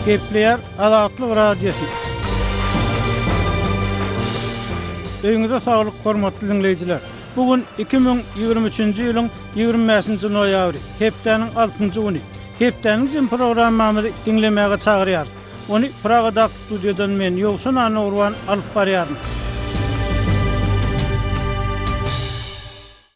Gepleýär Azatlyk Radiosy. Öýüňize saglyk hormatly diňleýjiler. Bu gün 2023-nji ýylyň 25-nji noýabry, hepdäniň altynjy güni. Hepdäniň jemi programmamyzy diňlemäge çagyrýarys. Ony Pragadaky studiýadan men, Ýowşan Annagurban alyp barýaryn.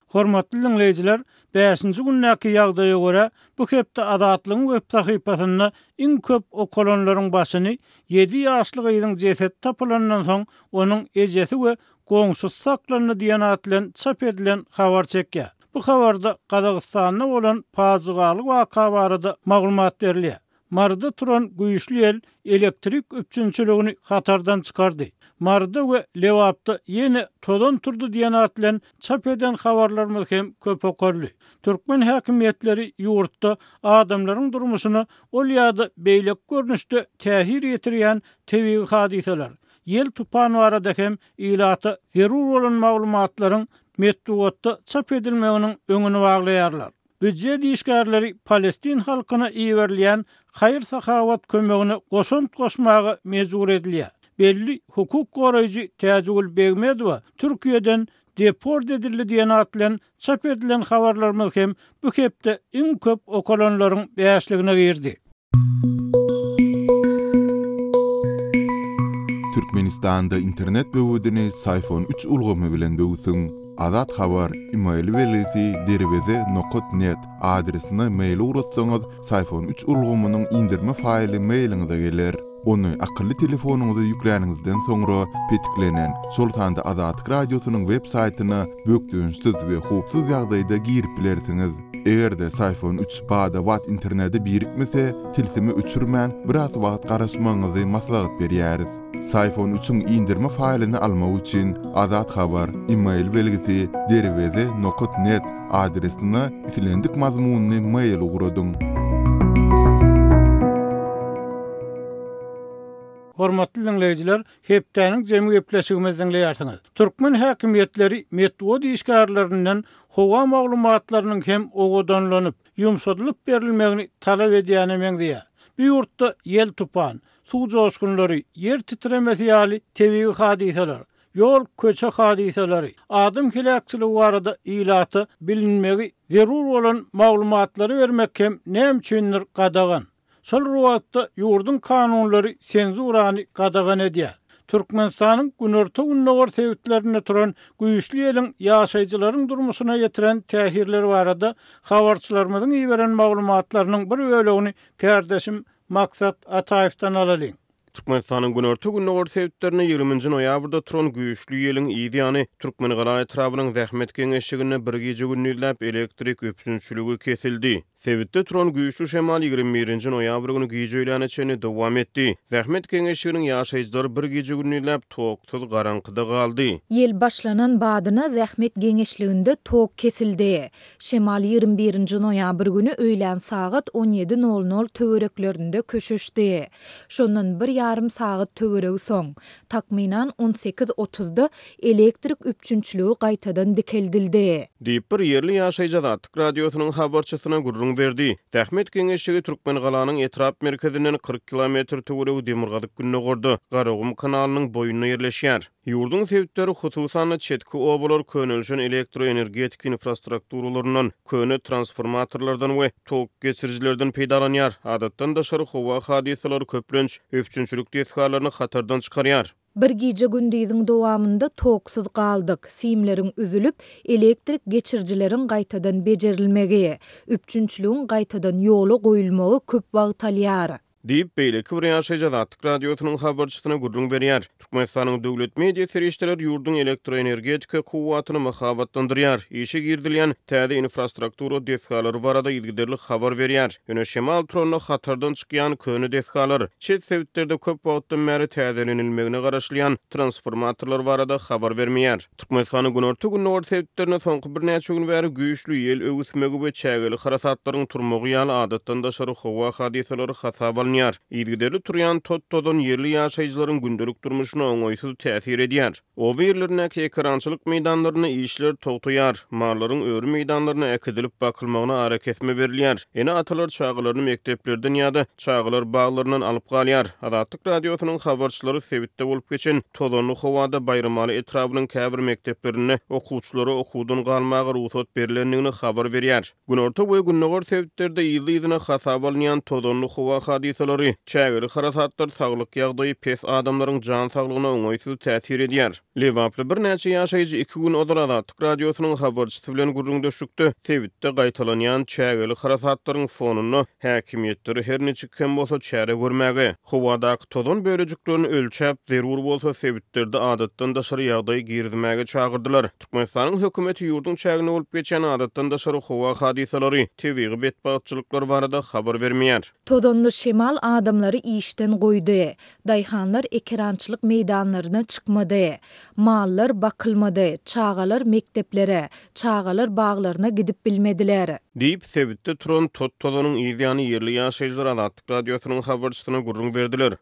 Hormatly diňleýjiler, bäşinji gündäki ýagdaýa görä, bu hepde Azatlygyň web sahypasynda iň köp okalanlaryň başyny ýedi ýaşly gyzyň jesedi tapylandan soň onuň ejesi we goňşusy saklandy diýen at bilen çap edilen habar çekýär. Bu habarda Gazagystanda bolan pajygaly waka barada maglumat berilýär. Maryda turan güýçli ýel elektrik üpjünçiligini hatardan çykardy. Maryda we Lebapda ýene tozan turdy diýen at bilen çap eden habarlarymyz hem köp okaldy. Türkmen häkimiýetleri ýurtda adamlaryň durmuşyna ol ýa-da beýleki görnüşde täsir ýetirýän tebigy hadysalar, ýel-tupan barada hem ilata zerur bolan maglumatlaryň metbugatda çap edilmeginiň öňüni baglaýarlar. Býujet işgärleri palestin halkyna iberilýän haýyr-sahawat kömegine goşant goşmaga mejbur edilýär. Belli hukuk goraýjy Täjigül Begmedowa Türkiýeden deport edildi diýen at bilen çap edilen habarlarymyz hem bu hepde iň köp okalanlaryň bäşligine girdi. Türkmenistanda internet böwedini Syfon üç ulgamy bilen böwsüň. Azat Habar, email belgisi derweze nokat net adresine mail ugratsaňyz, Syfon üç ulgamynyň indirme faýly mailiňize geler. Ony akylly telefonyňyza ýükläniňizden soňra petiklenen, şol sanda Azatlyk Radiosynyň web saýtyna bökdençsiz we howpsuz ýagdaýda girip bilersiňiz. Eger-de Syfon üç bada-bat internete birikmese, tilsimi öçürmän, biraz wagt garaşmagyňyzy maslahat berýäris. Syfon üçiň indirme faýlyny almak üçin Azat Habar, email belgisi, derweze nokat net adresine islendik mazmunly mail ugradyň. Hormatly diňleýjiler, hepdäniň jemi gepleşigimizi diňleýärsiňiz. Türkmen häkimiýetleri metbugat işgärlerinden howa maglumatlarynyň hem owadanlanyp, ýumşadylyp berilmegini talap edýäne meňzeýär. Bu ýurtda ýel-tupan, suw joşgunlary, ýer titremesi ýaly tebigy hadysalar, ýol-köçe hadysalary, adam heläkçiligi barada ilata bilinmegi zerur bolan maglumatlary bermek hem näme üçindir gadagan. Şol bir wagtda, ýurduň kanunlary senzurany gadagan edýär. Türkmenistanyň günorta-gündogar sebitlerinde turan güýçli ýeliň ýaşaýjylaryň durmuşyna ýetiren täsirleri barada habarçylarymyzyň iberen maglumatlarynyň bir bölegini kärdeşim Maksat Ataýewden alalyň. Türkmenistanyň günorta-gündogar sebitlerinde ýigriminji noýabrda turan güýçli ýeliň yz ýany, Türkmengala etrabynyň Zähmet geňeşliginde bir gije-gündizläp elektrik üpjünçiligi kesildi. Sebitde turan güýçli şemal 21 nji noýabr güni giç öýläne çenli dowam etdi. Zähmet geňeşliginiň ýaşaýjylary bir gije-gündizläp toksuz garaňkyda galdy. Ýel başlanan badyna Zähmet geňeşliginde tok kesildi. Şemal 21 nji noýabr güni öýlän sagat 17 nol nol töwereklerinde köşeşdi. Şondan bir ýarym sagat töweregi soň, takmynan 18 otuzda elektrik üpjünçiligi gaýtadan dikeldildi. Diýip, bir ýerli ýaşaýjy Azatlyk Radiosynyň habarçysyna gürrüň berdi. Zähmet geňeşligi Türkmengalanyň etrap merkezinden 40 kilometr töweregi demirgazyk-gündogarda, Garagum kanalynyň boýunda ýerleşýär. Ýurduň sebitleri, hususan-da, çetki obalar könelişen elektroenergetika infrastrukturalaryndan, köne transformatorlardan we tok geçirijilerden peýdalanýar. Adatdan daşary howa hadysalary köplenç üpjünçilik desgalaryny hatardan çykarýar. Bir gije-gündiziň dowamynda toksuz galdyk, simleriň üzülip, elektrik geçirijileriň gaýtadan bejerilmegi, üpjünçiligiň gaýtadan ýola goýulmagy köp wagt alýar. Diýip, beýleki bir ýaşaýjy Azatlyk Radiosynyň habarçysyna gürrüň berýär. Türkmenistanyň döwlet media serişdeleri ýurduň elektroenergetika kuwwatyny mahabatlandyrýar, işe girizilýän täze infrastruktura desgalary barada yzygiderli habar berýär. Ýöne şemal turanda hatardan çykýan köne desgalar, çet sebitlerde köp wagtdan bäri täzelenilmegine garaşylýan transformatorlar barada habar bermeýär. Türkmenistanyň günorta-gündogar sebitlerinde soňky birnäçe gün bäri güýçli ýel öwüsmegi we çägeli harasatlaryň turmagy ýaly adatdan daşary howa hadysalary hasaba alynýar. başlanýar. Yzygiderli turýan tot-tozan ýerli ýaşaýjylaryň gündelik durmuşyna oňaýsyz täsir edýär. Oba ýerlerindäki ekerançylyk meýdanlarynda işler togtaýar, mallaryň öri meýdanlaryna äkidilip bakylmagyna arakesme berilýär. Ene-atalar çagalaryny mekdeplerden ýa-da çagalar baglaryndan alyp galýar. Azatlyk Radiosynyň habarçylary sebitde bolup geçen tozanly howada Baýramaly etrabynyň käbir mekdeplerinde okuwçylara okuwdan galmaga rugsat berlendigini habar berýär. Günorta we gündogar sebitlerde yzly-yzyna hasaba alynýan tozanly howa hadysalary, çägeli harasatlar saglyk ýagdaýy pes adamlaryň jan saglygyna oňaýsyz täsir edýär. Lebaply birnäçe ýaşaýjy iki gün ozal Azatlyk Radiosynyň habarçysy bilen gürrüňdeşlikde sebitde gaýtalanýan çägeli harasatlaryň fonunda häkimiýetleri her niçik hem bolsa çäre görmäge, howadaky tozan bölejiklerini ölçäp, zerur bolsa sebitlerde adatdan daşary ýagdaý girizmäge çagyrdylar. Türkmenistanyň hökümeti ýurduň çäginde bolup geçýän adatdan daşary howa hadysalary, tebigy betbagtçylyklar barada habar bermeýär. Tozanly şemal adamlary işden goýdy. Daýhanlar ekerançylyk meýdanlaryna çykmady. Mallar bakylmady, çagalar mekdeplere, çagalar baglaryna gidip bilmediler. Diýip, sebitde turan tot-tozanyň yz ýany ýerli ýaşaýjylar Azatlyk Radiosynyň habarçysyna gürrüň berdiler.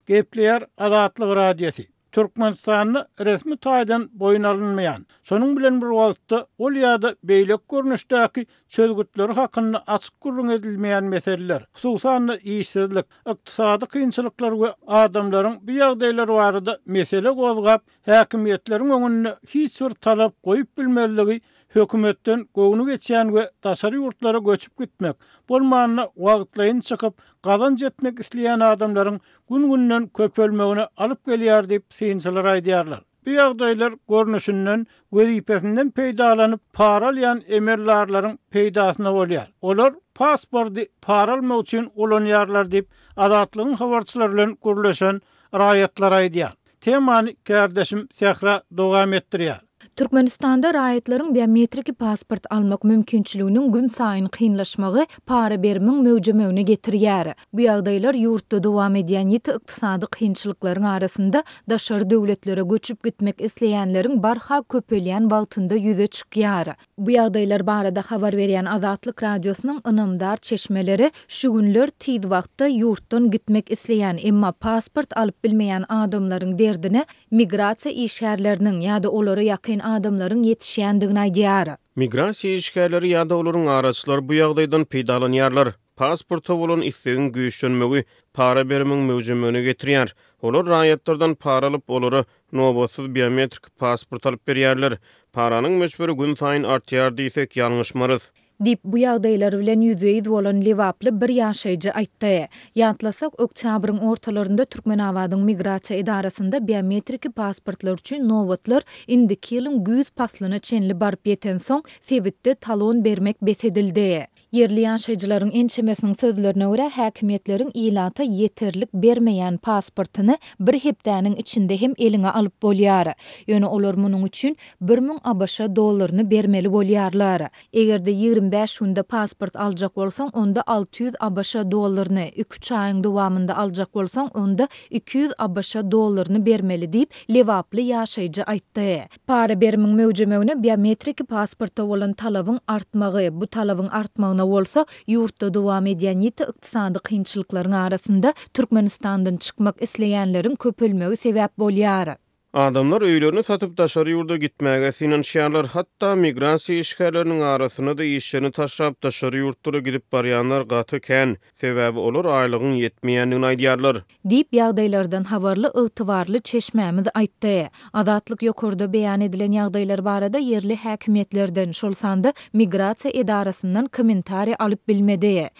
Gepleýär Azatlyk Radiosy. Türkmenistanda resmi taýdan boýun alynmaýan, şonuň bilen bir wagtda ol ýa-da beýleki görnüşdäki çözgütleri hakynda açyk gürrüň edilmeýän meseleler, hususan-da işsizlik, ykdysady kynçylyklar we adamlaryň bu ýagdaýlar barada mesele gozgap, häkimiýetleriň öňünde hiç bir talap goýup bilmezligi hökümetden göwni geçýän we daşary ýurtlara göçüp gitmek, bolmanda wagtlaýyn çykyp, gazanç etmek isleýän adamlaryň gün-günden köpelmegine alyp gelýär diýip, synçylar aýdýarlar. Bu ýagdaýlar görnüşinden wezipesinden peýdalanyp para alýan emeldarlaryň peýdasyna bolýar. Olar pasporty para almak üçin ulanýarlar diýip, Azatlygyň habarçylary bilen gürleşen raýatlar aýdýar. Temany kärdeşim Sähra dowam etdirýär. Türkmenistanda raýatlaryň biometriki pasport almak mümkinçiliginiň günsaýyn kynlaşmagy para-berimiň möwjemegine getirýär. Bu ýagdaýlar ýurtda dowam edýän ýiti ykdysady kynçylyklaryň arasynda daşary döwletlere göçüp gitmek isleýänleriň barha köpelýän wagtynda ýüze çykýar. Bu ýagdaýlar barada habar berýän Azatlyk Radiosynyň ynamdar çeşmeleri şu günler tiz wagtda ýurtdan gitmek isleýän, emma pasport alyp bilmeýän adamlaryň derdine migrasiýa işgärleriniň ýa-da olara ýakyn adamlaryň ýetişýändigini aýdýar. Migrasiýa işgärleri ýa-da olaryň araçylary bu ýagdaýdan peýdalanýarlar. Pasporta bolan islegiň güýçlenmegi para berimiň möwjemegine getirýär. Olar raýatlardan para alyp, olara nobatsyz biometrik pasport alyp berýärler. Paranyň möçberi günsaýyn artýar diýsek, ýalňyşmarys. Diýip, bu ýagdaýlar bilen ýüzbe-ýüz bolan lebaply bir ýaşaýjy aýtdy. Ýatlasak, oktýabryň ortalarynda Türkmenabadyň migrasiýa edarasynda biometriki pasportlar üçin nobatlar indiki ýylyň güýz paslyna çenli baryp ýetensoň, sebitde talon bermek bes edildi. Ýerli ýaşaýjylaryň ençemesiniň sözlerine görä, häkimiýetleriň ilata ýeterlik bermeýän pasportyny bir hepdäniň içinde hem eliňe alyp bolýar. Ýöne olar munuň üçin 1000 ABŞ dollaryny bermeli bolýarlar. Eger-de 25 günde pasport aljak bolsaň, onda 600 ABŞ dollaryny, iki-üç aýyň dowamynda aljak bolsaň, onda 200 ABŞ dollaryny bermeli diýip, lebaply ýaşaýjy aýtdy. Para berimiň möwjemegine biometriki pasporta bolan talabyň artmagy, bu talabyň artmagyna bolsa, ýurtda dowam edýän ýiti ykdysady kynçylyklaryň arasynda Türkmenistandan çykmak isleýänleriň köpelmegi sebäp bolýar. Adamlar öýlerini satyp daşary ýurda gitmäge synanyşýarlar. Hatda migrasiýa işgärleriniň arasynda-da işlerini taşlap daşary ýurtlara gidip barýanlar gaty kän. Sebäbi olar aýlygyň ýetmeýändigini aýdýarlar. Diýip, ýagdaýlardan habarly ygtybarly çeşmämiz aýtdy. Azatlyk ýokarda beýan edilen ýagdaýlar barada ýerli häkimiýetlerden, şol sanda migrasiýa edarasyndan kommentariý alyp bilmedi.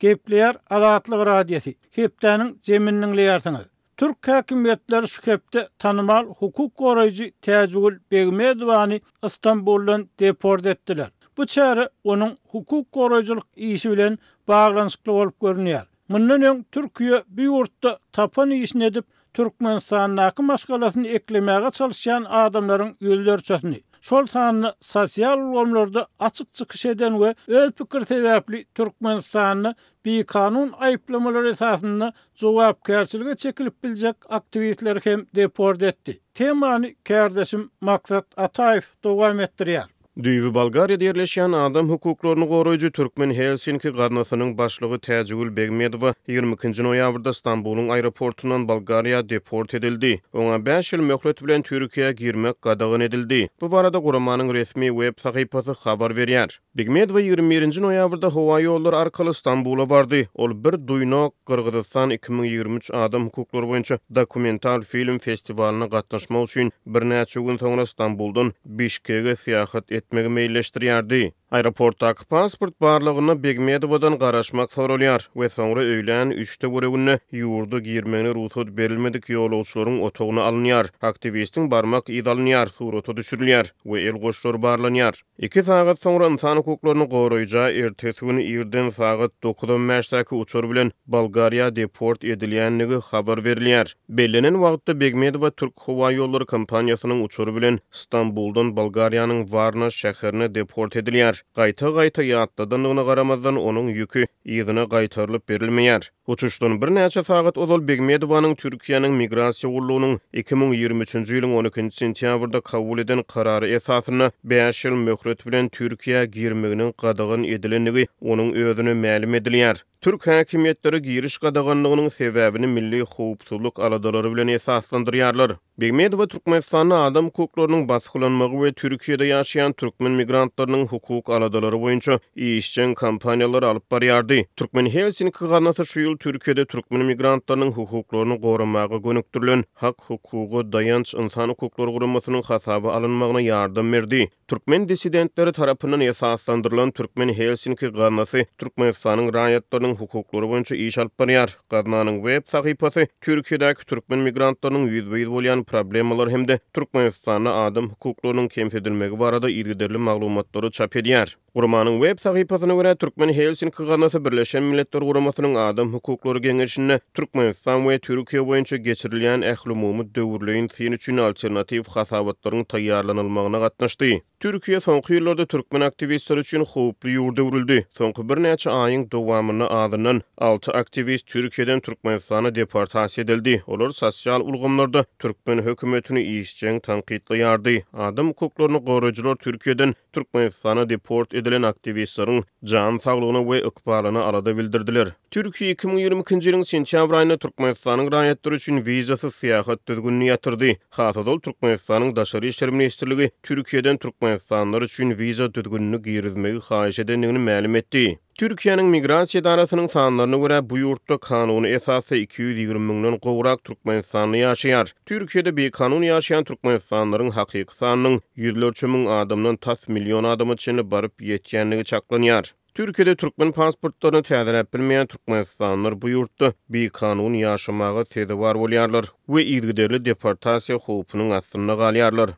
Gepleýär Azatlyk Radiosy, Hepdäniň jemini diňleýärsiňiz. Türk häkimiýetleri şu hepde tanymal hukuk goraýjy Täjigül Begmedowany Stambuldan deport etdiler. Bu çäre onuň hukuk goraýjylyk işi bilen baglanyşykly bolup görünýär. Mundan öň Türkiýe bu ýurtda tapan işini edip, Türkmenistandaky maşgalasyny eklemäge çalyşýan adamlaryň ýüzlerçesini, şol sanda sosial ulgamlarda açyk çykyş eden we öz pikiri sebäpli Türkmenistanda bikanun aýyplamalar esasynda jogapkärçilige çekilip biljek aktiwistleri hem deport etdi. Temany kärdeşim Maksat Ataýew dowam etdirýär. Düýbi Bolgariýada ýerleşýän adam hukuklaryny goraýjy Türkmen Helsinki gaznasynyň başlygy Täjigül Begmedowa 22-nji noýabrda Stambulyň aeroportundan Bolgariýa deport edildi. Oňa bäş ýyl möhlet bilen Türkiýä girmek gadagan edildi. Bu barada guramanyň resmi web sahypasy habar berýär. Begmedowa 21-nji noýabrda howa ýollary arkaly Stambula bardy. Ol Bir duýnok, Gyrgyzystan 2023 adam hukuklary boýunça dokumental film festiwalyna gatnaşmak üçin birnäçe gün soňra Stambuldan Bişkege syýahat etmegi meýilleşdirýärdi. Aeroportdaky pasport barlagynda Begmedowadan garaşmak soralýar we soňra öýlän üç töwereginde ýurda girmegine rugsat berilmedik ýolagçylaryň otagyna alynýar. Aktiwistiň barmak yzy alynýar, surata düşürilýär we el goşlary barlanýar. Iki sagat soňra ynsan hukuklaryny goraýja ertesi gün irden sagat dokuz on bäşdäki uçar bilen Bolgariýa deport edilýändigi habar berilýär. Bellenen wagtda Begmedowa Türk howaýollary kompaniýasynyň uçary bilen Stambuldan Bolgariýanyň Warna şäherine deport edilýär. Gaýta-gaýta ýatladandygyna garamazdan, onuň ýüki yzyna gaýtarylyp berilmeýär. Uçuşdan birnäçe sagat ozal Begmedowanyň Türkiýäniň Migrasiýa gullugynyň 2023-nji ýylyň on ikinji sentýabrda kabul eden karary esasynda bäş ýyl möhlet bilen Türkiýä girmeginiň gadagan edilendigi onuň özüne mälim edilýär. Türk häkimiýetleri giriş gadaganlygynyň sebäbini milli howpsuzlyk aladalary bilen esaslandyrýarlar. Begmedowa Türkmenistanda adam hukuklarynyň basgylanmagy we Türkiýede ýaşaýan türkmen migrantlarynyň hukuk aladalary boýunça işjeň kampaniýalary alyp barýardy. Türkmen Helsinki gaznasy şu ýyl Türkiýede türkmen migrantlarynyň hukuklaryny goramaga gönükdirilen Hak-hukuga daýanç ynsan hukuklary guramasynyň hasaba alynmagyna ýardam berdi. Türkmen dissidentleri tarapyndan esaslandyrylan Türkmen Helsinki gaznasy Türkmenistanyň raýatlarynyň hukuklary boýunça iş alyp barýar. Gaznanyň web sahypasy Türkiýedäki türkmen migrantlarynyň ýüzbe-ýüz bolýan problemalary hem-de Türkmenistanda adam hukuklarynyň kemsidilmegi barada yzygiderli maglumatlary çap edýär. Guramanyň web sahypasyna görä, Türkmen Helsinki gaznasy Birleşen Milletler Guramasynyň Adam hukuklary geňeşinde Türkmenistan we Türkiýe boýunça geçirilýän ählumumy döwürleýin syn üçin alternatiw hasabatlaryň taýýarlanylmagyna gatnaşdy. Türkiýe soňky ýyllarda türkmen aktiwistleri üçin howply ýurda öwrüldi. Soňky birnäçe aýyň dowamynda azyndan alty aktiwist Türkiýeden Türkmenistana deportasiýa edildi. Olar sosial ulgamlarda türkmen hökümetini işjeň tankytlaýardy. Adam hukuklaryny goraýjylar Türkiýeden Türkmenistana deport edilen aktiwistleriň jan saglygyna we ykbalyna alada bildirdiler. Türkiýe 2022-nji ýylyň sentýabr aýynda Türkmenistanyň raýatlary üçin wizasyz syýahat düzgünini ýatyrdy. Has ozal Türkmenistanyň Daşary işler ministrligi Türkiýeden türkmenistanlylar üçin wiza düzgünini girizmegi haýyş edendigini mälim etdi. Türkiýäniň Migrasiýa edarasynyň sanlaryna görä, bu ýurtda kanuny esasda 220 müňden gowrak türkmenistanly ýaşaýar. Türkiýede bikanun ýaşaýan türkmenistanlylaryň hakyky sanynyň ýüzlerçe müň adamdan tas million adama çenli baryp ýetýändigi çaklanýar. Türkiýede türkmen pasportlaryny täzeläp bilmeýän türkmenistanlylar bu ýurtda bikanun ýaşamaga sezewar bolýarlar we yzygiderli deportasiýa howpunyň astynda galýarlar.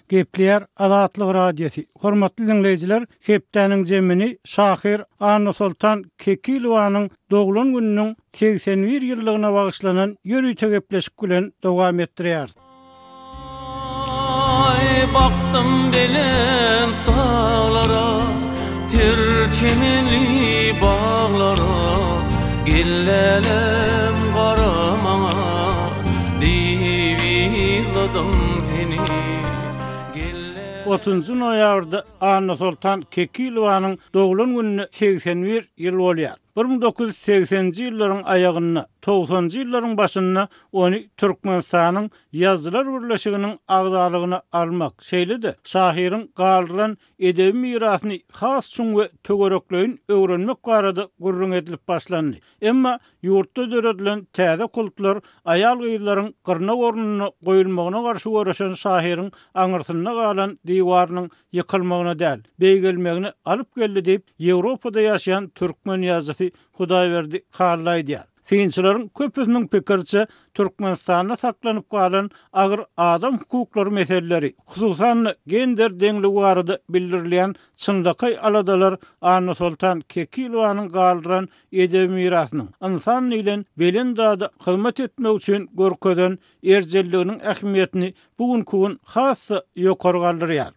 Gepleýär Azatlyk Radiosy. Hormatly diňleýjiler, hepdäniň jemini şahyr Annasoltan Kekilowanyň doglan gününiň 81 ýyllygyna bagyşlanan ýörite gepleşik bilen dowam etdirýäris. Aý bakdym belent daglara, Ter çemenli baglara, Gel lälem gara maňa, Diýip yzladym seni. Gel lälem. Otuzynjy noýabrda Annasoltan Kekilowanyň doglan gününe 81 ýyl bolýar. 1980-nji ýyllaryň aýagynda, togsanjy ýyllaryň başynda ony Türkmenistanyň Ýazyjylar birleşiginiň agzalygyna almak, şeýle-de şahyryň galdyran edebi mirasyny has çuň we töwerekleýin öwrenmek barada gürrüň edilip başlandy. Emma ýurtda döredilen täze kultlar aýal-gyzlaryň gyrnak ornunda goýulmagyna garşy göreşen şahyryň aňyrsynda galan diwarynyň ýykylmagyna däl, beýgelmegine alyp geldi diýip, Ýewropada ýaşaýan türkmen ýazyjysy Hudaýberdi Hally aýdýar. Synçylaryň köpüsiniň pikiriçe, Türkmenistanda saklanyp galan agyr adam hukuklary meseleleri, hususan-da, gender deňligi barada bildirilýän çynlakaý aladalar Annasoltan Kekilowanyň galdyran edebi mirasynyň, ynsan diýlen belent zada hyzmat etmek üçin görkezen erjelliginiň ähmiýetini bu günki gün has-da ýokary galdyrýar.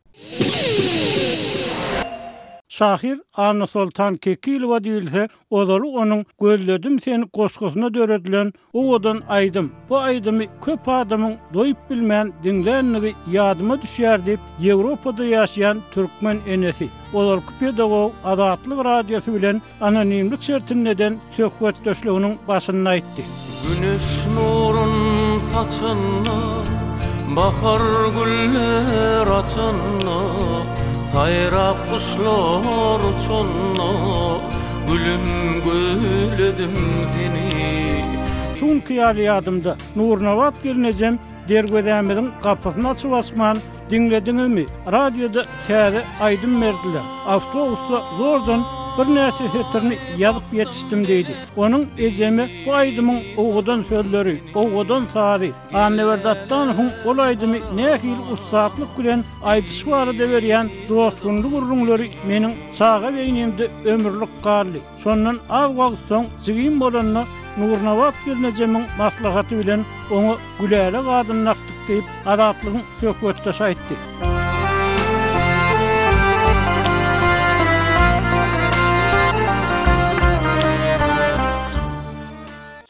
Şahyr Annasoltan Kekilowa diýilse, ozaly onuň Gözledim seni goşgusyna döredilen owadan aýdym, bu aýdymy köp adamyň doýup bilmän diňländigi ýadyma düşýär diýip, Ýewropada ýaşaýan türkmen enesi, ozalky pedagog Azatlyk Radiosy bilen anonimlik şertinde eden söhbetdeşliginiň başynda aýtdy. Güneş nurun saçanda, bahar güller açanda, saýrap guşlar uçanda, gülüm gözledim seni. Şu günki ýaly ýadymda, Nurnabat gelnejem derwezämiziň gapysyny açyp-açman, Diňlediňizmi, radioda täze aýdym berdiler. Awtobusda zordan birnäçe setirini ýazyp ýetişdim diýdi. Onuň ejeme bu aýdymyň owadan sözleri, owadan sazy, Annaberdi Atdanowyň ol aýdymy nähili ussatlyk bilen aýdyşy barada berýän joşgunly gürrüňleri meniň çaga beýnimde ömürlik galdy. Şondan az wagt soň jigim bolanda Nurnabat gelnejemiň maslahaty bilen oňa Gülälek adyny dakdyk diýip, Azatlygyň söhbetdeşi aýtdy.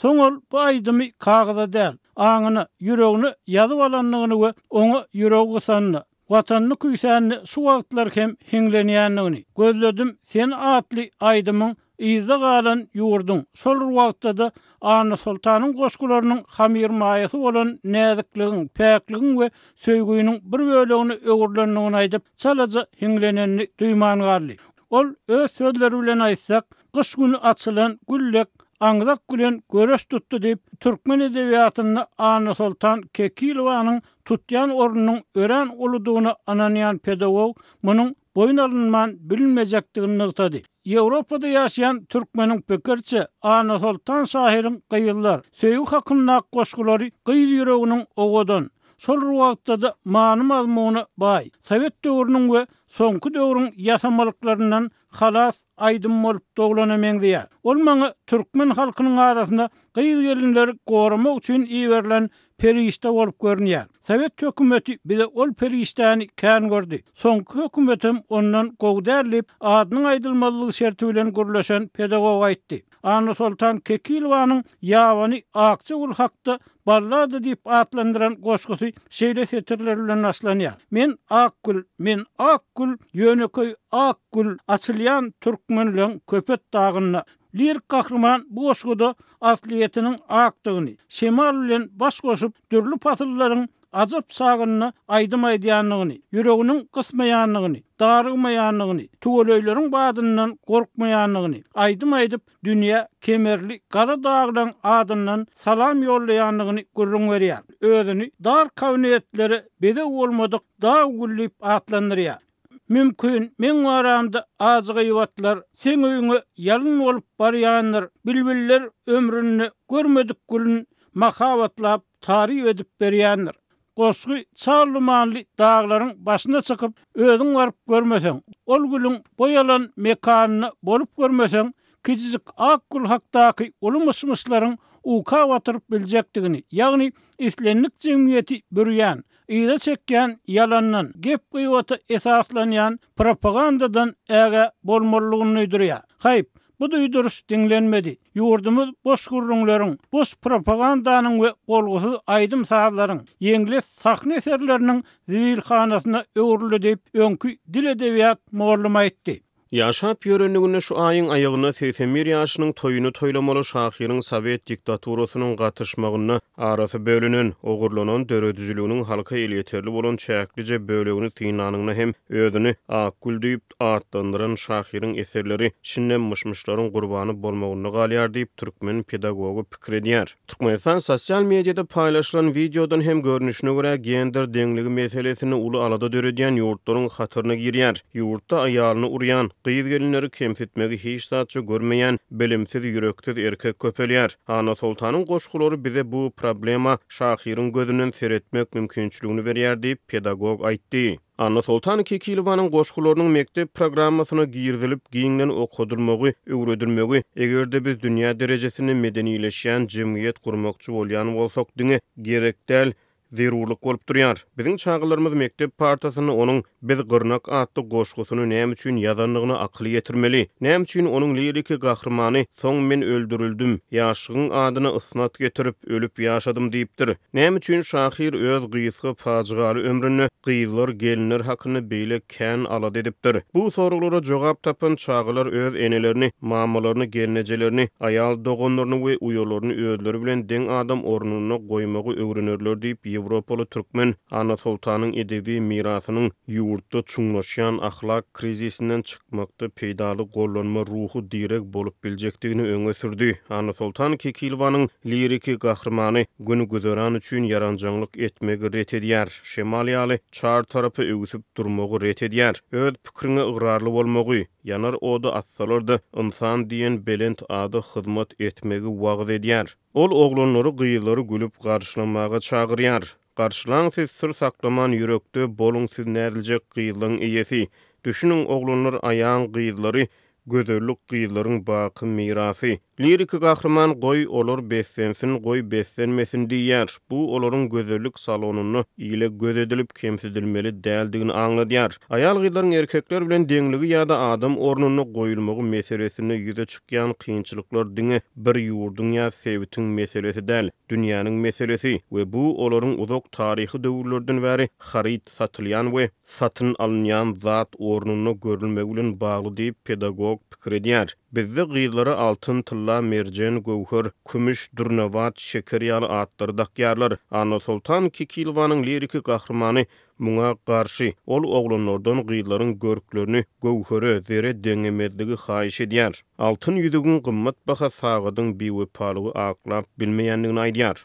Soň ol bu aýdymy kagyza däl, aňyna, ýüregine ýazyp alandygyny we oňa ýüregi gysanyny, Watanyny küýsänini şu wagtlar hem hiňlenýändigini, Gözledim seni atly aýdymyň yzda galan ýurduň, şol bir wagtda-da Annasoltanyň goşgularynyň hamyrmaýasy bolan näzikligiň, päkligiň we söýgüniň bir bölegine öwrülendigini aýdyp, çalaja hiňlenenini duýman galdy. Ol öz sözleri bilen aýtsak, gyş güni açylan gül dek aňzak bilen göreş tutdy diýip, türkmen edebiýatynda Annasoltan Kekilowanyň tutýan ornunyň örän uludygyna ynanýan pedagog munuň boýun alynman bilinmejekdigini nygtady. Ýewropada ýaşaýan türkmeniň pikiriçe, Annasoltan şahyryň gyzlar, söýgi hakyndaky goşgulary gyz ýüreginiň owadan, şol bir wagtda-da many-mazmuna baý, sowet döwrüniň we soňky döwrüň ýasamalyklaryndan halas aýdym bolup doglana meňzeýär. Ol maňa türkmen halkynyň arasynda gyz-gelinleri goramak üçin iberilen perişde bolup görünýär. Sowet hökümeti bize ol perişdäni kän gördi. Soňky hökümetem ondan gowy däl diýip, adynyň aýdylmazlygy şerti bilen gürleşen pedagog aýtdy. Annasoltan Kekilowanyň Ýabany akja gül hakda ballada diýip atlandyran goşgusy şeýle setirler bilen başlanýar, Men ak gül, men ak gül, ýönekeý ak gül, açylýan türkmenleň Köpet dagynda. Lirik gahryman bu goşguda aslyýetiniň akdygyny, şemal bilen baş goşup, dürli pasyllaryň ajap çagynda aýdym aýdýandygyny, ýüreginiň gysmaýandygyny, darygmaýandygyny, tüweleýleriň badyndan gorkmaýandygyny, aýdym aýdyp, dünýä kemerli gara daglaň adyndan salam ýollaýandygyny gürrüň berýär. Özüni dar kabinetlere bezeg bolmadyk dag güli diýip atlandyrýar. Mümkin, meň baramda ajy gybatlar seň öýüňe ýalyn bolup barýandyr, bilbiller ömründe görmedik gülün mahabatlap taryp edip berýändir. Goşgy çal dumanly daglaryň başyna çykyp, özüň baryp görmeseň, ol gülüň boý alan mekanynda bolup görmeseň, kiçijik ak gül hakdaky uly myş-myşlaryň uka batyryp biljekdigini, ýagny islendik jemgyýeti bürýän, yza çekýän ýalandan, gep-gybata esaslanýan propagandadan ägä bolmalydygyny duýdurýar. Haýp, bu duýduryş diňlenmedi. Ýurdumyz boş gürrüňleriň, boş propagandanyň we bolgusyz aýdym-sazlaryň, ýeňles sahna eserleriniň zibilhanasyna öwrüldi diýip, öňki dil-edebiýat mugallymy aýtdy. Ýaşap ýörenliginde şu aýyň aýagynda 81 ýaşynyň toýuny toýlamaly şahyryň sowet diktaturasynyň gatyşmagynda arasy bölünen, ogurlanan döredijiliginiň halka elýeterli bolan çäklije bölegini synlanyňda hem özüni Akgül diýip atlandyran şahyryň eserleri şindem myş-myşlaryň gurbany bolmagynda galýar diýip, türkmen pedagogy pikir edýär. Türkmenistan sosial mediada paýlaşylan wideodan hem görnüşine görä, gender deňligi meselesinde uly alada döredýän ýurtlaryň hataryna girýär. Ýurtda aýalyny urýan, gyz-gelinleri kemsitmegi hiç zatça görmeýän bilimsiz, ýüreksiz erkek köpelýär. Annasoltanyň goşgulary bize bu problema şahyryň gözünden seretmek mümkinçiligini berýär diýip, pedagog aýtdy. Annasoltan Kekilowanyň goşgularynyň mekdep programmasyna girizilip, giňden okadylmagy, öwredilmegi, eger-de biz dünýä derejesinde medenileşýän jemgyýet gurmakçy bolýan bolsak, diňe gerek däl. zerurlyk bolup durýar. Biziň çagalarymyz mekdep partasynda onuň Biz gyrnak atly goşgusyny näme üçin ýazandygyna akyl ýetirmeli. Näme üçin onuň liriki gahrymany Soň men öldürildim, ýaşlygyň adyna ysnat getirip, ölüp ýaşadym diýipdir. Näme üçin şahyr öz gysga pajygaly ömründe gyzlar, gelinler hakynda beýle kän alada edipdir? Bu soraglara jogap tapan çagalar öz enelerini, mamalaryny, gelnejelerini, aýal doganlaryny we uýalaryny özleri bilen deň adam ornunda goýmagy öwrenerler diýip, ýewropaly türkmen Annasoltanyň edebi mirasynyň ýurtda çuňlaşýan ahlak krizisinden çykmakda peýdaly gollanma ruhy direg bolup biljekdigini öňe sürdi. Annasoltan Kekilowanyň liriki gahrymany gün-güzeran üçin ýaranjaňlyk etmegi ret edýär, şemal ýaly çar tarapa öwsüp durmagy ret edýär, öz pikiriňe ygrarly bolmagy, ýanar oda atsalar-da, ynsan diýen belent ada hyzmat etmegi wagyz edýär. Ol oglanlary, gyzlary gülüp garşylamaga çagyrýar. Garşylaň siz syr saklaman ýürekde boluň siz näziljek gyzlaň eýesi. Düşüniň oglanlar aýaň gyzlary gözellik gyzlaryň baky mirasy. Liriki gahryman goý olar beslensin goý beslenmesin diýýär. Bu olaryň gözellik salonynda ile göz edilip kemsidilmeli däldigini aňladýar. Aýal gyzlaryň erkekler bilen deňligi ýa-da adam ornunda goýulmagy meselesinde ýüze çykýan kynçylyklar diňe bir ýurduň ýa sebitiň meselesi däl. Dünýäniň meselesi we bu olaryň uzak taryhy döwürlerden bäri haryt satylýan we satyn alynýan zat ornunda görülmegi bilen bagly diýip, pedagog pikir edýär. Bizde gyzlara altyn, tylla, merjen, göwher, kümüş, dürnabat, şeker ýaly atlary dakýarlar. Annasoltan Kekilowanyň liriki gahrymany Muňa garşy, ol oglanlardan gyzlaryň görklerini göwhere, zere deňemezligi haýyş edýär. Altyn ýüzügiň gymmatbaha sagadyň biwepalygy aklap bilmeýändigini aýdýar.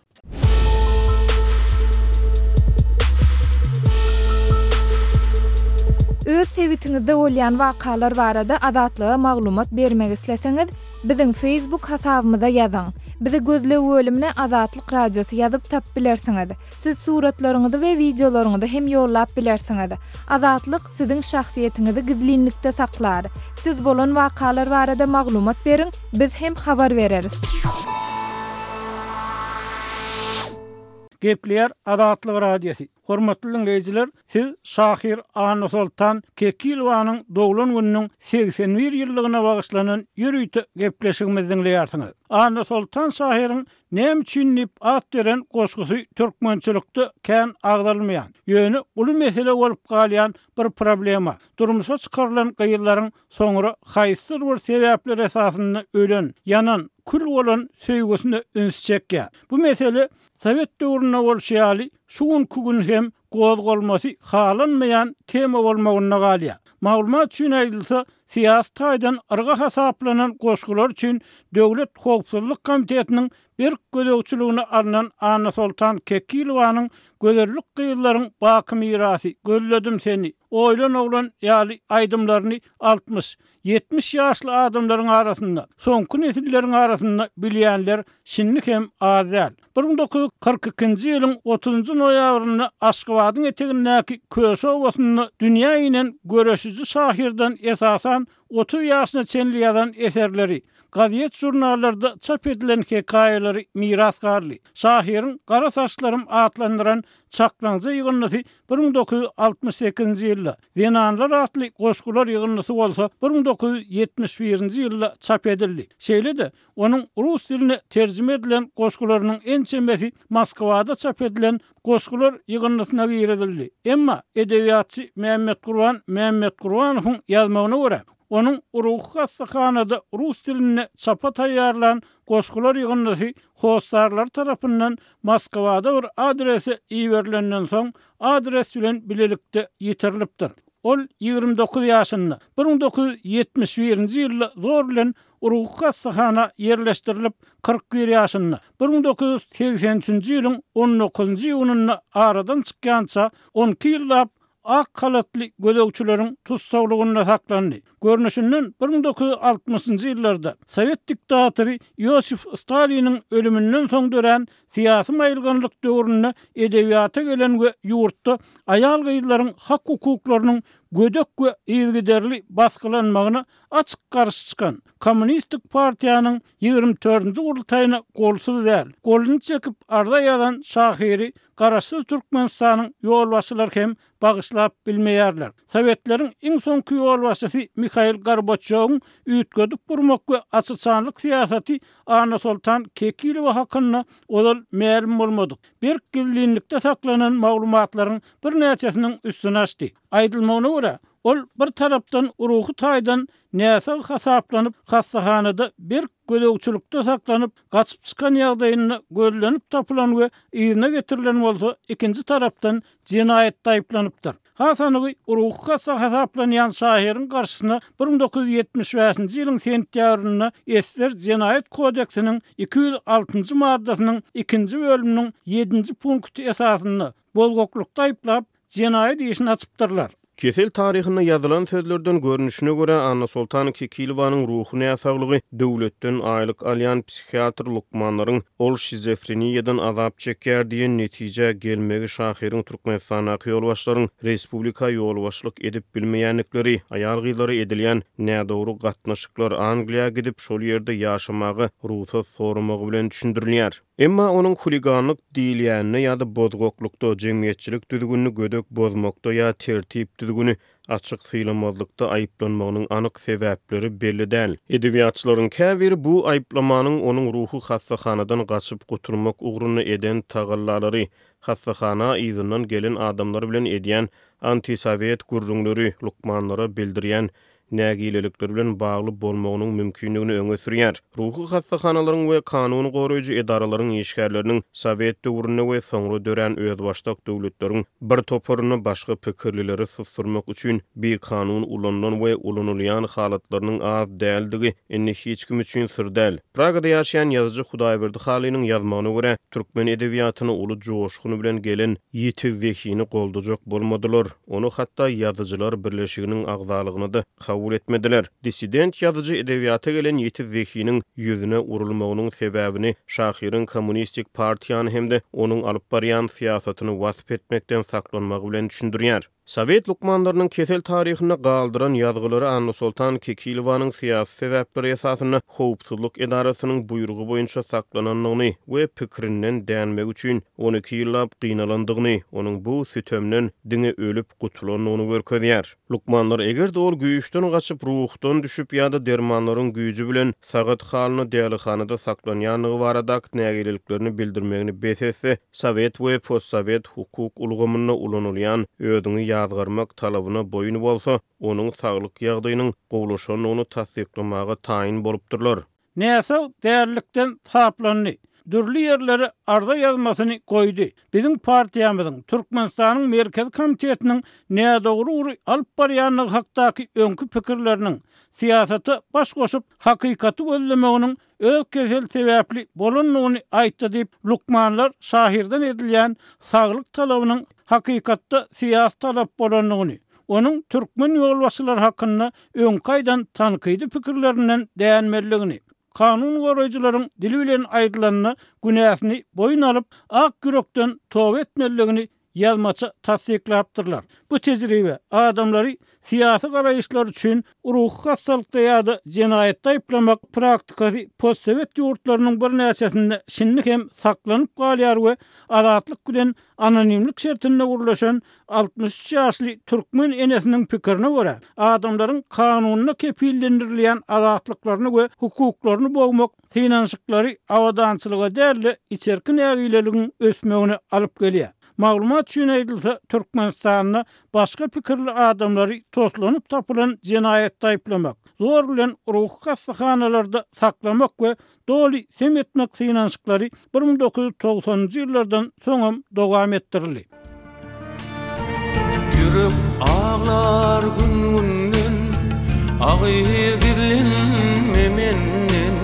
Öz sebitiňizde bolýan wakalar barada Azatlyga maglumat bermek isleseňiz, biziň Facebook hasabymyza ýazyň. Bizi gözleg bölümine Azatlyk Radiosy ýazyp tapyp bilersiňiz. Siz suratlaryňyzy we wideolaryňyzy hem ýollap bilersiňiz. Azatlyk siziň şahsyýetiňizi gizlinlikde saklar. Siz bolan wakalar barada maglumat beriň, biz hem habar bereris. Gepleýär Azatlyk Radiosy. Hormatly diňleýjiler, siz şahyr Annasoltan Kekilowanyň doglan gününiň 81 ýyllygyna bagyşlanan ýörite gepleşigimizi diňleýärsiňiz. Annasoltan şahyryň Näme üçin diýip at beren goşgusy türkmençilikde kän agzalmaýan, ýöne uly mesele bolup galýan bir problema, durmuşa çykarylan gyzlaryň soňra haýsydyr bir sebäpler esasynda ölen, ýanan, kül bolan söýgüsine üns çekýär. Bu mesele sowet döwründe bolşy ýaly şu günki gün hem gozgalmasy halanmaýan tema bolmagynda galýar. Maglumat üçin aýdylsa, syýasy taýdan yrga hasaplanan goşgular üçin Döwlet howpsuzlyk komitetiniň berk gözegçiligine alnan Annasoltan Kekilowanyň Gözellik gyzlaryň baky mirasy, Gözledim seni, Oýlan oglan ýaly aýdymlaryny 60, 70 ýaşly adamlaryň arasynda, soňky nesilleriň arasynda bilýänler şindi hem az däl. 1942-nji ýylyň otuzynjy noýabrynda Aşgabadyň etegindäki Köşi obasynda dünýä inen göreşiji şahyrdan esasan 30 ýaşyna çenli ýazan eserleri, gazet-žurnallarda çap edilen hekaýalary miras galdy. Şahyryň Gara saçlarym atlandyran çaklaňja ýygyndysy 1968-nji ýylda, Zenanlar atly goşgular ýygyndysy bolsa 1971-nji ýylda çap edildi. Şeýle-de, Onuň rus diline terjime edilen goşgularynyň ençemesi Moskwada çap edilen goşgular ýygyndysyna girizildi. Emma edebiýatçy Mämmetgurban Mämmetgurbanowyň ýazmagyna görä, onuň ruhy hassahanada rus dilinde çapa taýýarlan goşgular ýygyndysy hossarlary tarapyndan Moskwada bir adrese iberilenden soň, adres bilen bilelikde ýitirilipdir. Ol 29 ýaşynda, 1971-nji ýylda zor bilen Ruhy hassahana ýerleşdirilip, 41 ýaşynda, 1983-nji ýylyň on dokuzynjy iýunynda aradan çykýança on iki ýyllap ak halatly gözegçileriň tussaglygynda saklandy. Görnüşinden, 1960-njy ýyllarda sowet diktatory Iosif Staliniň ölüminden soň dörän syýasy maýylganlyk döwründe edebiýata gelen we ýurtda aýal-gyzlaryň hak-hukuklarynyň gödek we yzygiderli basgylanmagyna açyk garşy çykan Kommunistik partiýanyň ýigrimi dördünji gurultaýyna golsuz däl, goluny çekip arza ýazan şahyry. Garaşsyz Türkmenistanyň ýolbaşçylary hem bagyşlap bilmeýärler. Sowetleriň iň soňky ýolbaşçysy Mihail Gorbaçýowyň üýtgedip gurmak we açyçanlyk syýasaty Annasoltan Kekilowa hakynda ozal mälim bolmadyk, berk gizlinlikde saklanan maglumatlaryň birnäçesiniň üstüni açdy. Aýdylmagyna görä, ol bir tarapdan ruhy taýdan näsag hasaplanyp, hassahanada berk gözegçilikde saklanyp, gaçyp çykan ýagdaýynda gözlenip tapylan we yzyna getirilen bolsa, ikinji tarapdan jenaýatda aýyplanypdyr. Has anygy, ruhy hassa hasaplanýan şahyryň garşysyna 1975-nji ýylyň sentýabrynda ssr Jenaýat kodeksiniň 206-njy maddasynyň ikinji bölüminiň ýedinji punkty esasynda bozgaklykda aýyplap, jenaýat işini açypdyrlar. Kesel taryhynda ýazylan sözlerden görnüşine görä, Annasoltan Kekilowanyň ruhy näsaglygy döwletden aýlyk alýan psihiatr lukmanlaryň ol şizofreniýadan azap çekýär diýen netijä gelmegi şahyryň Türkmenistandaky ýolbaşçylaryň respublika ýolbaşçylyk edip bilmeýändikleri, aýal-gyzlara edilýän nädogry gatnaşyklar, Angliýa gidip, şol ýerde ýaşamaga rugsat soramagy bilen düşündirilýär. Emma onuň huliganlyk diýilýänine ýa-da bozgaklykda, jemgyýetçilik düzgünini gödek bozmakda ýa tertip-düzgüni açyk sylamazlykda aýyplanmagynyň anyk sebäpleri belli däl. Edebiýatçylaryň käbiri bu aýyplamanyň onuň ruhy hassahanadan gaçyp gutulmak ugrunda eden tagallalary, hassahana yzyndan gelen adamlar bilen edýän antisowet gürrüňleri, lukmanlara bildirýän nägilelikleri bilen bagly bolmagynyň mümkindigini öňe sürýär. Ruhy hassahanalaryň we kanun goraýjy edaralaryň işgärleriniň sowet döwründe we soňra dörän özbaşdak döwletleriň bir toparynda başga pikirlileri susdurmak üçin bikanun ulanylan we ulanylýan halatlarynyň az däldigi indi hiç kim üçin syr däl. Pragada ýaşaýan ýazyjy Hudaýberdi Halynyň ýazmagyna görä, türkmen edebiýatyna uly joşgun bilen gelen ýiti zehini goldajak bolmadylar. Ony hatda Ýazyjylar birleşiginiň agzalygyna-da kabul etmediler. Dissident ýazyjy edebiýata gelen ýiti zehiniň ýüzüne urulmagynyň sebäbini şahyryň kommunistik partiýany hem-de onuň alyp barýan syýasatyny wasp etmekden saklanmagy bilen düşündirýär. Sowet lukmanlarynyň kesel taryhynda galdyran ýazgylary Annasoltan Kekilowanyň syýasy sebäpler esasynda howpsuzlyk edarasynyň buýrugy boýunça saklanandygyny we pikirinden dänmegi üçin 12 ýyllap gynalandygyny, onuň bu sütemden diňe ölüp gutulandygyny görkezýär. Lukmanlar eger-de ol güýçden gaçyp, ruhdan düşüp ýa-da dermanlaryň güýji bilen sagat halyna dälihanada saklanýandygy baradaky nägileliklerini bildirmegini bes etse, sowet we postsowet hukuk ulgamynda ulanylýan özüňi ýazgarmak talabyna boýun bolsa, onuň saglyk ýagdaýynyň gowulaşandygyny tassyklamaga taýyn bolupdyrlar. Näsag dälilikden saplandy. Dürli ýerlere arza ýazmasyny goýdy. Biziň partiýamyzyň, Türkmenistanyň Merkezi Komitetiniň nädogry ugry alyp barýandygy hakdaky öňki pikirleriniň, syýasata baş goşup, hakykaty gözlemeginiň öz keseli sebäpli bolandygyny aýtdy diýip, lukmanlar şahyrdan edilýän saglyk talabynyň hakykatda syýasy talap bolandygyny, onuň türkmen ýolbaşçylary hakynda öňki aýdan tankydy pikirlerinden dänmelidigini, kanun goraýjylaryň dili bilen aýdylanda günäsini boýun alyp, ak ýürekden toba etmelidigini ýazmaça tassyklapdyrlar. Bu tejribe, adamlary syýasy garaýyşlary üçin ruhy hassalykda ýa-da jenaýatda aýyplamak praktikasy postsowet ýurtlarynyň birnäçesinde şindi hem saklanyp galýar we Azatlyk bilen anonimlik şertinde gürleşen 63 ýaşly türkmen enesiniň pikirine görä, adamlaryň kanunda kepillendirilýän azatlyklaryny we hukuklaryny bogmak synanyşyklary abadançylyga däl-de, içerki nägileligiň ösmegine alyp gelýär. Maglumat üçin aýdylsa, Türkmenistanda başga pikirli adamlary toslanyp tapylan jenaýatda aýyplamak, zor bilen ruhy hassahanalarda saklamak we doly sem etmek synanyşyklary 1990-njy ýyllardan soňam dowam etdirildi. Ýürek aglar gün-günden, Agy gizlenme menden,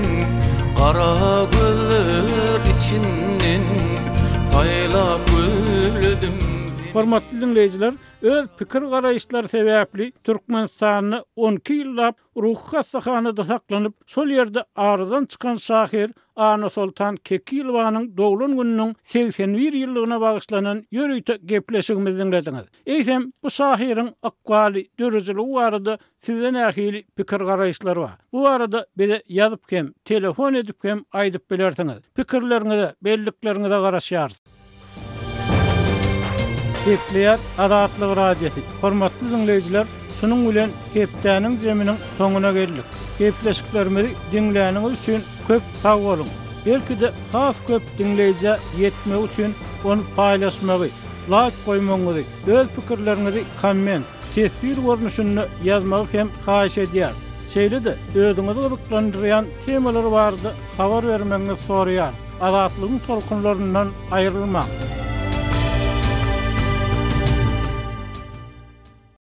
Gara gözler içinden, Saýlap gözledim seni. Hormatly diňleýjiler, öz pikir-garaýyşlary sebäpli Türkmenistanda on iki ýyllap Ruhy hassahanada saklanyp, şol ýerde aradan çykan şahyr Annasoltan Kekilowanyň doglan gününiň 81 ýyllygyna bagyşlanan ýörite gepleşigimizi diňlediňiz. Eýsem, bu şahyryň ykbaly, döredijiligi barada sizde nähili pikir-garaýyşlar bar? Bu barada bize ýazyp hem, telefon edip hem aýdyp bilersiňiz. Pikirleriňize, bellikleriňize garaşýarys. Gepleýär Azatlyk Radiosy. Hormatly diňleýjiler, şunuň bilen hepdäniň jeminiň soňuna geldik. Gepleşiklerimizi diňläniňiz üçin köp sag boluň! Belki-de has köp diňleýjä ýetmegi üçin ony paýlaşmagy, laýk goýmagyňyzy, öz pikirleriňizi komment, teswir görnüşinde ýazmagy hem haýyş edýäris. Şeýle-de özüňizi gyzyklandyrýan temalar barada habar bermegiňizi soraýarys. Azatlygyň tolkunlaryndan aýrylmaň!